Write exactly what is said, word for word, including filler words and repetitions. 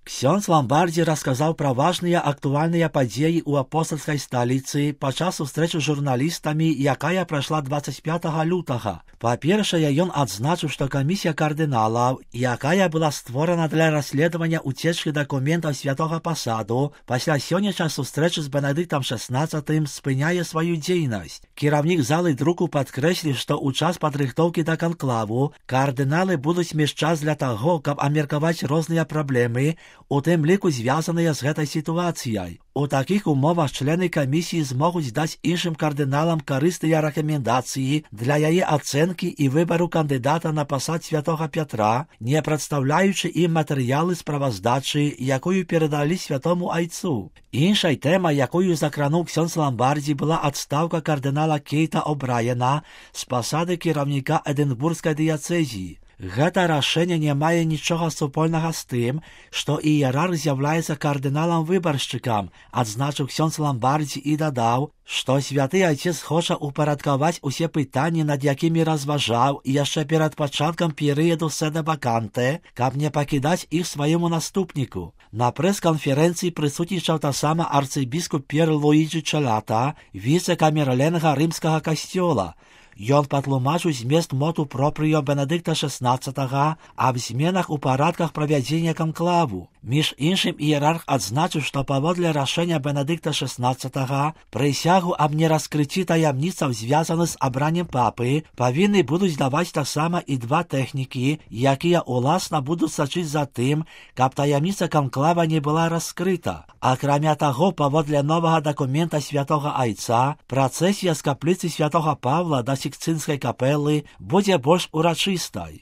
Ксёндз Ламбардзі расказаў пра важныя актуальныя падзеі ў апостальскай сталіцы падчас сустрэчы з журналістамі, якая прайшла дваццаць пятага лютага. Па-першае, ён адзначыў, што камісія кардыналаў, якая была створана для расследавання уцечкі дакументаў святога пасаду, пасля сённяшняй сустрэчы з Бенедыктам шэснаццатым спыняе сваю дзейнасць. Кіраўнік залы друку падкрэсліў, што ў час падрыхтоўкі да канклаву кардыналы будуць мець час для таго, каб абмеркаваць розныя праблемы, у тым ліку звязаныя з гэтай сітуацыяй. У такіх умовах члены камісіі змогуць даць іншым кардыналам карысныя рэкамендацыі для яе ацэнкі і выбару кандыдата на пасад святога Пятра, не прадстаўляючы ім матэрыялы справаздачы, якую перадалі святому айцу. Іншай тэмай, якую закрануў ксёндз Ламбардзі, была адстаўка кардынала Кейта О'Брайена з пасады кіраўніка Эдынбургскай дыяцэзіі. Гэта рашэнне не мае нічога супольнага з тым, што іерарх з'яўляецца кардыналам-выбаршчыкам, адзначыў ксёндз Ламбардзі і дадаў, што святы айцец хоча упарадкаваць усе пытанні, над якімі разважаў яшчэ перад пачаткам перыяду седэ-ваканте, каб не пакідаць іх свайму наступніку. На прэс-канферэнцыі прысутнічаў таксама арцыбіскуп П'ер Луіджі Чэлата, віцэ-камерленга рымскага касцёла. Ён патлумачыў змест моту пропрыо Бенедыкта шэснаццатага аб зменах у парадках правядзення канклаву. Між іншым, іерарх адзначыў, што паводле рашэння Бенедыкта шэснаццатага прысягу аб нераскрыцці таямніцаў, звязаны з абраннем папы, павінны будуць даваць таксама і два тэхнікі, якія уласна будуць сачыць за тым, каб таямніца канклава не была раскрыта. Акрамя таго, паводле новага дакумента святога айца, працэсія з капліцы святога Павла да Сікстынскай капелы будзе больш урачыстай.